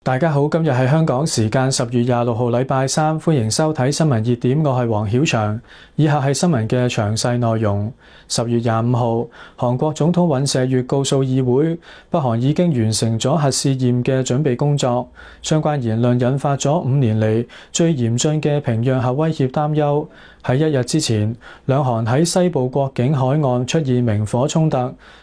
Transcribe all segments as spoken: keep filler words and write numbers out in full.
大家好，今日係香港時間十月廿六號禮拜三，歡迎收睇新聞熱點，我係黃曉翔。以下係新聞嘅詳細內容。十月廿五號，韓國總統尹錫悅告訴議會，北韓已經完成咗核試驗嘅準備工作。相關言論引發咗五年嚟最嚴峻嘅平壤核威脅擔憂。喺一日之前，兩韓喺西部國境海岸出現明火衝突，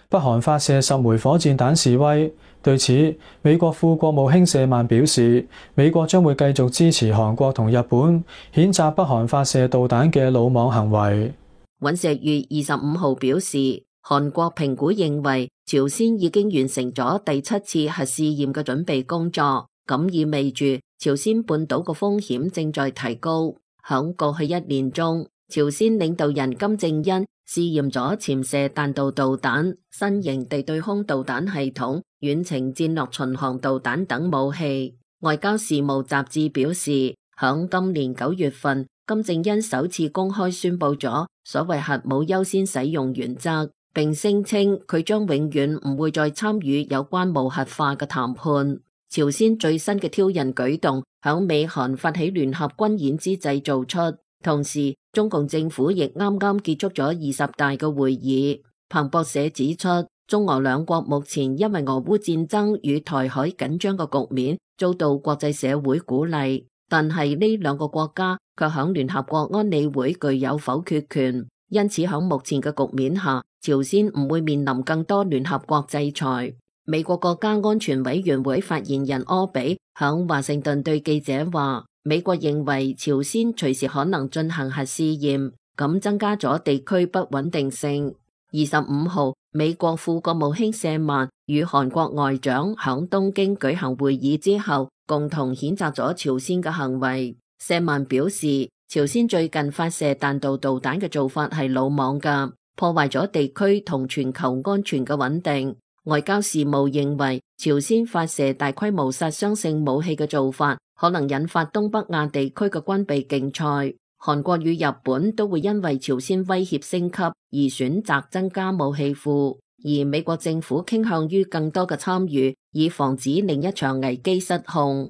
北韓發射十枚火箭彈示威。對此，美國副國務卿舍曼表示，美國將會繼續支持韓國同日本，譴責北韓發射導彈嘅魯莽行為。尹錫悅二十五號表示，韓國評估認為朝鮮已經完成咗第七次核試驗嘅準備工作，咁意味住朝鮮半島嘅風險正在提高。響過去一年中，朝鮮領導人金正恩試驗咗潛射彈道導彈、新型地對空導彈系統、遠程戰略巡航導彈等武器。外交事務雜誌表示，響今年九月份，金正恩首次公開宣布咗所謂核武優先使用原則，並聲稱佢將永遠唔會再參與有關無核化嘅談判。朝鮮最新嘅挑釁舉動，響美韓發起聯合軍演之際做出。同時，中共政府亦啱啱結束咗二十大嘅會議。彭博社指出，中俄兩國目前因為俄烏戰爭與台海緊張嘅局面遭到國際社會鼓勵，但係呢兩個國家卻響聯合國安理會具有否決權，因此響目前嘅局面下，朝鮮唔會面臨更多聯合國制裁。美國國家安全委員會發言人柯比響華盛頓對記者話，美國認為朝鮮隨時可能進行核試驗，咁增加咗地區不穩定性。二十五號，美國副國務卿舍曼與韓國外長響東京舉行會議之後，共同譴責咗朝鮮嘅行為。舍曼表示，朝鮮最近發射彈道導彈嘅做法係魯莽㗎，破壞咗地區同全球安全嘅穩定。外交事務認為，朝鮮發射大規模殺傷性武器嘅做法，可能引發東北亞地區嘅軍備競賽。韓國與日本都會因為朝鮮威脅升級而選擇增加武器庫，而美國政府傾向於更多嘅參與，以防止另一場危機失控。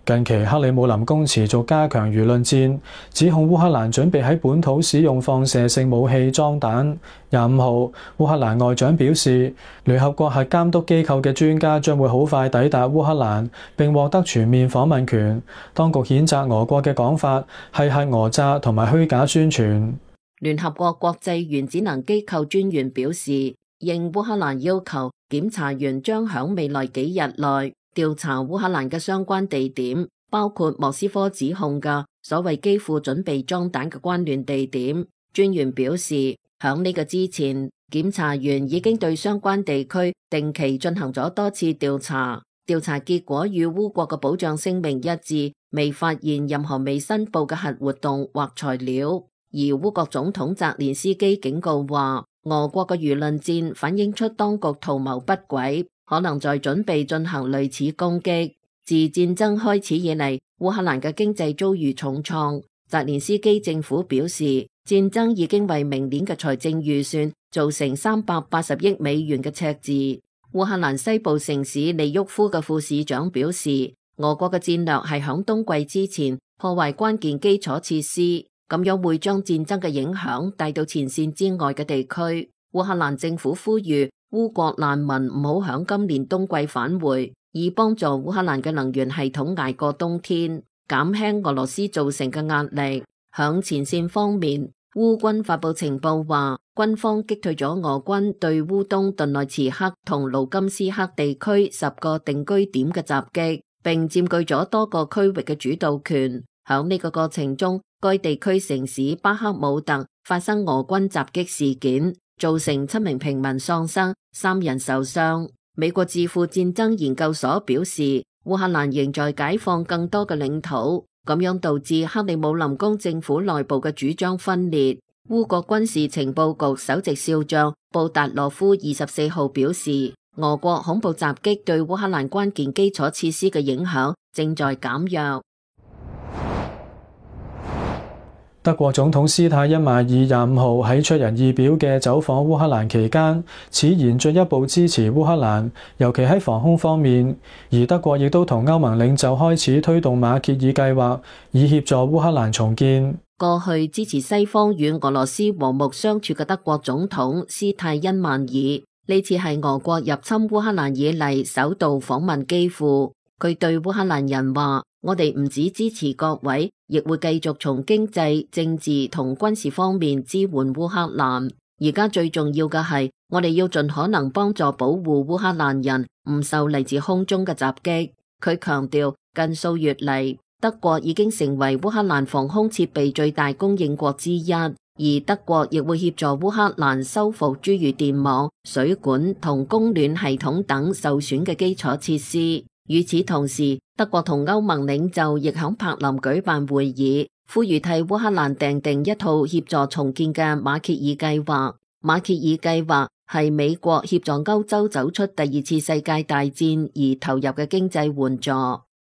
近期克里姆林宮持續加強輿論戰，指控烏克蘭準備喺本土使用放射性武器裝彈。廿五號，烏克蘭外長表示，聯合國核監督機構嘅專家將會好快抵達烏克蘭，並獲得全面訪問權。當局譴責俄國嘅講法係核訛詐同埋虛假宣傳。聯合國國際原子能機構專員表示，應烏克蘭要求，檢查員將響未來幾日內調查烏克蘭嘅相關地點，包括莫斯科指控嘅所謂基輔準備裝彈嘅關聯地點。專員表示，響呢個之前，檢查員已經對相關地區定期進行咗多次調查，調查結果與烏國嘅保障聲明一致，未發現任何未申報嘅核活動或材料。而烏國總統澤連斯基警告話，俄國嘅輿論戰反映出當局圖謀不軌，可能在準備進行類似攻擊。自戰爭開始以嚟，烏克蘭嘅經濟遭遇重創。澤連斯基政府表示，戰爭已經為明年嘅財政預算造成三百八十億美元嘅赤字。烏克蘭西部城市利沃夫嘅副市長表示，俄國嘅戰略係響冬季之前破壞關鍵基礎設施，咁樣會將戰爭嘅影響帶到前線之外嘅地區。烏克蘭政府呼籲烏國難民唔好響今年冬季返回，以幫助烏克蘭嘅能源系統捱過冬天，減輕俄羅斯造成嘅壓力。響前線方面，烏軍發佈情報話，軍方擊退咗俄軍對烏東頓內茨克同盧甘斯克地區十個定居點嘅襲擊，並佔據咗多個區域嘅主導權。響呢個過程中，該地區城市巴克姆特發生俄軍襲擊事件，造成七名平民喪生，三人受傷。美國智庫戰爭研究所表示，烏克蘭仍在解放更多嘅領土，咁樣導致克里姆林宮政府內部嘅主張分裂。烏國軍事情報局首席少將布達羅夫二十四號表示，俄國恐怖襲擊對烏克蘭關鍵基礎設施嘅影響正在減弱。德國總統施泰因邁爾廿五號喺出人意表嘅走訪烏克蘭期間，此言進一步支持烏克蘭，尤其喺防空方面。而德國亦都同歐盟領袖開始推動馬歇爾計劃，以協助烏克蘭重建。過去支持西方與俄羅斯和睦相處嘅德國總統施泰因邁爾，呢次係俄國入侵烏克蘭以嚟首度訪問基輔。佢對烏克蘭人話：我哋唔止支持各位，亦會繼續從經濟、政治同軍事方面支援烏克蘭。而家最重要嘅係，我哋要盡可能幫助保護烏克蘭人唔受嚟自空中嘅襲擊。佢強調，近數月嚟，德國已經成為烏克蘭防空設備最大供應國之一，而德國亦會協助烏克蘭修復諸如電網、水管同供暖系統等受損嘅基礎設施。與此同時，德國同歐盟領袖亦響柏林舉辦會議，呼籲替烏克蘭訂定一套協助重建嘅馬歇爾計劃。馬歇爾計劃係美國協助歐洲走出第二次世界大戰而投入嘅經濟援助。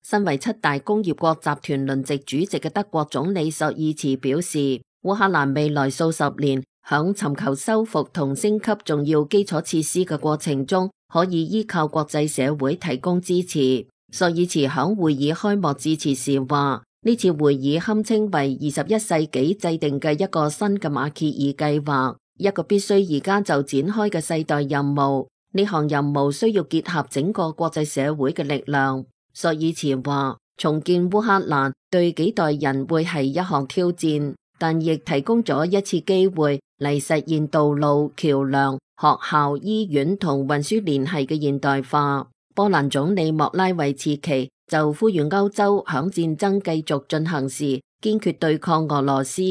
身為七大工業國集團輪值主席嘅德國總理朔爾茨表示，烏克蘭未來數十年響尋求修復同升級重要基礎設施嘅過程中，可以依靠國際社會提供支持。朔爾茨響會議開幕致辭時話，呢次會議堪稱為二十一世紀制定嘅一個新嘅馬歇爾計劃，一個必須而家就展開嘅世代任務。呢項任務需要結合整個國際社會嘅力量。朔爾茨話，重建烏克蘭對幾代人會係一項挑戰，但亦提供咗一次機會嚟實現道路、橋樑、學校、醫院同運輸聯繫嘅現代化。波蘭總理莫拉維茨奇就呼籲歐洲響戰爭繼續進行時堅決對抗俄羅斯，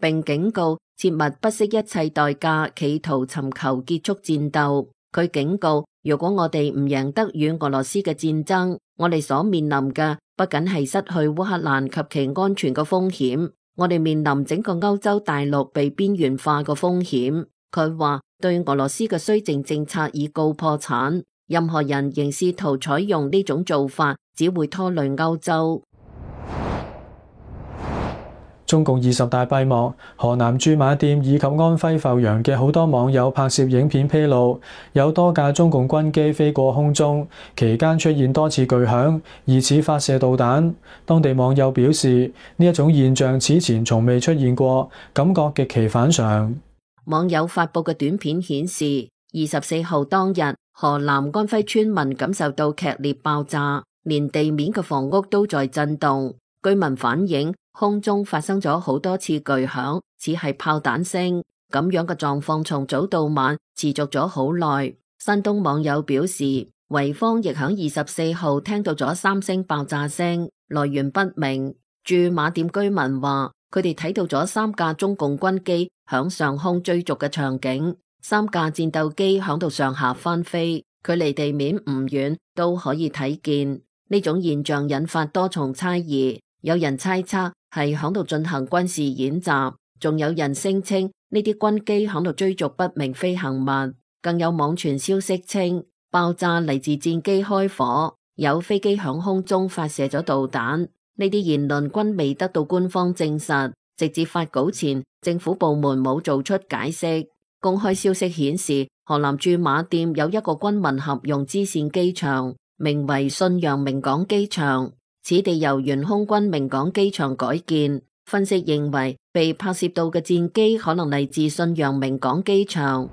並警告切勿不惜一切代價企圖尋求結束戰鬥。佢警告，如果我哋唔贏得與俄羅斯嘅戰爭，我哋所面臨嘅不僅係失去烏克蘭及其安全嘅風險，我哋面臨整個歐洲大陸被邊緣化嘅風險。佢話，對俄羅斯嘅綏靖政策已告破產，任何人仍試圖採用呢種做法，只會拖累歐洲。中共二十大閉幕，河南駐馬店以及安徽阜陽嘅好多網友拍攝影片披露，有多架中共軍機飛過空中，期間出現多次巨響，疑似發射導彈。當地網友表示，呢一種現象此前從未出現過，感覺極其反常。網友發布嘅短片顯示，二十四號當日，河南安徽村民感受到劇烈爆炸，連地面嘅房屋都在震動。居民反映，空中發生咗好多次巨響，似係炮彈聲。咁樣嘅狀況從早到晚持續咗好耐。山東網友表示，濰坊亦響二十四號聽到咗三聲爆炸聲，來源不明。駐馬店居民話，佢哋睇到咗三架中共軍機響上空追逐嘅場景，三架戰鬥機響度上下翻飛，距離地面唔遠都可以睇見。呢種現象引發多重猜疑。有人猜測係響度進行軍事演習，仲有人聲稱呢啲軍機響度追逐不明飛行物，更有網傳消息稱爆炸嚟自戰機開火，有飛機響空中發射咗導彈。呢啲言論均未得到官方證實，直至發稿前，政府部門冇做出解釋。公開消息顯示，河南駐馬店有一個軍民合用支線機場，名為信陽明港機場。此地由原空軍明港機場改建，分析認為被拍攝到嘅戰機可能嚟自信陽明港機場。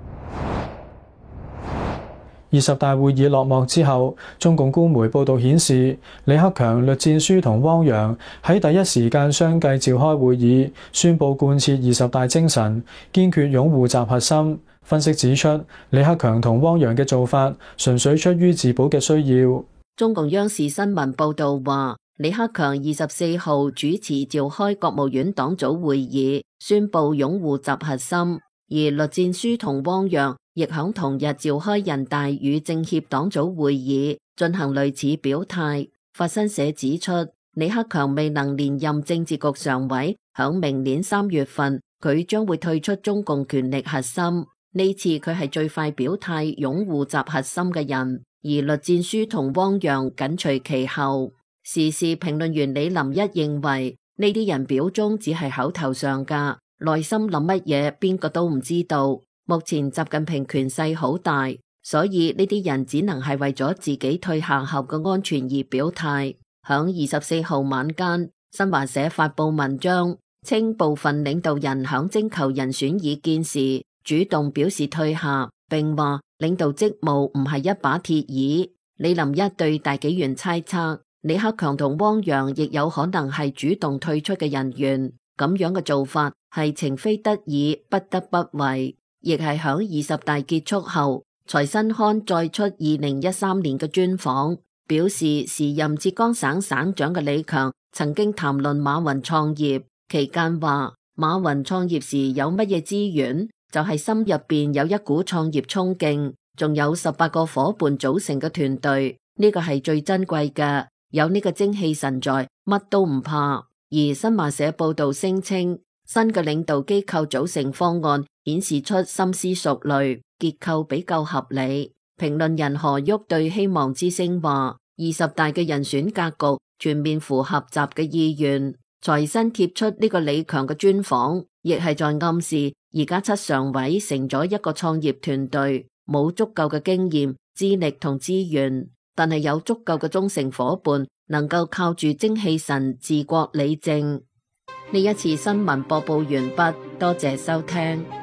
二十大會議落幕之後，中共官媒報道顯示，李克強、栗戰書同汪洋喺第一時間相繼召開會議，宣布貫徹二十大精神，堅決擁護習核心。分析指出，李克強同汪洋嘅做法純粹出於自保嘅需要。中共央視新聞報道話，李克強二十四號主持召開國務院黨組會議，宣布擁護習核心，而栗戰書同汪洋亦響同日召開人大與政協黨組會議，進行類似表態。法新社指出，李克強未能連任政治局常委，響明年三月份佢將會退出中共權力核心。呢次佢係最快表態擁護習核心嘅人，而栗戰書同汪洋緊隨其後。時事評論員李林一認為，呢啲人表忠只係口頭上噶，內心諗乜嘢邊個都唔知道。目前習近平權勢好大，所以呢啲人只能係為咗自己退下後嘅安全而表態。響二十四號晚間，新華社發布文章，稱部分領導人響徵求人選意見時主動表示退下，並話領導職務唔係一把鐵椅。李林一對大紀元猜測，李克強同汪洋亦有可能係主動退出嘅人員，咁樣嘅做法係情非得已不得不為。亦係響二十大結束後，財新刊再出二零一三年嘅專訪，表示時任浙江省省長嘅李強曾經談論馬雲創業，期間話馬雲創業時有乜嘢資源，就係心入邊有一股創業衝勁，仲有十八個伙伴組成嘅團隊，呢個係最珍貴嘅，有呢個精氣神在，乜都唔怕。而新華社報道聲稱，新嘅領導機構組成方案顯示出深思熟慮，結構比較合理。評論人何旭對希望之聲話，二十大嘅人選格局全面符合習嘅意願。財新貼出呢個李強嘅專訪，亦係在暗示而家七常委成咗一個創業團隊，冇足夠嘅經驗、資歷同資源，但係有足夠嘅忠誠夥伴，能夠靠住精氣神治國理政。呢一次新聞播報完畢，多謝收聽。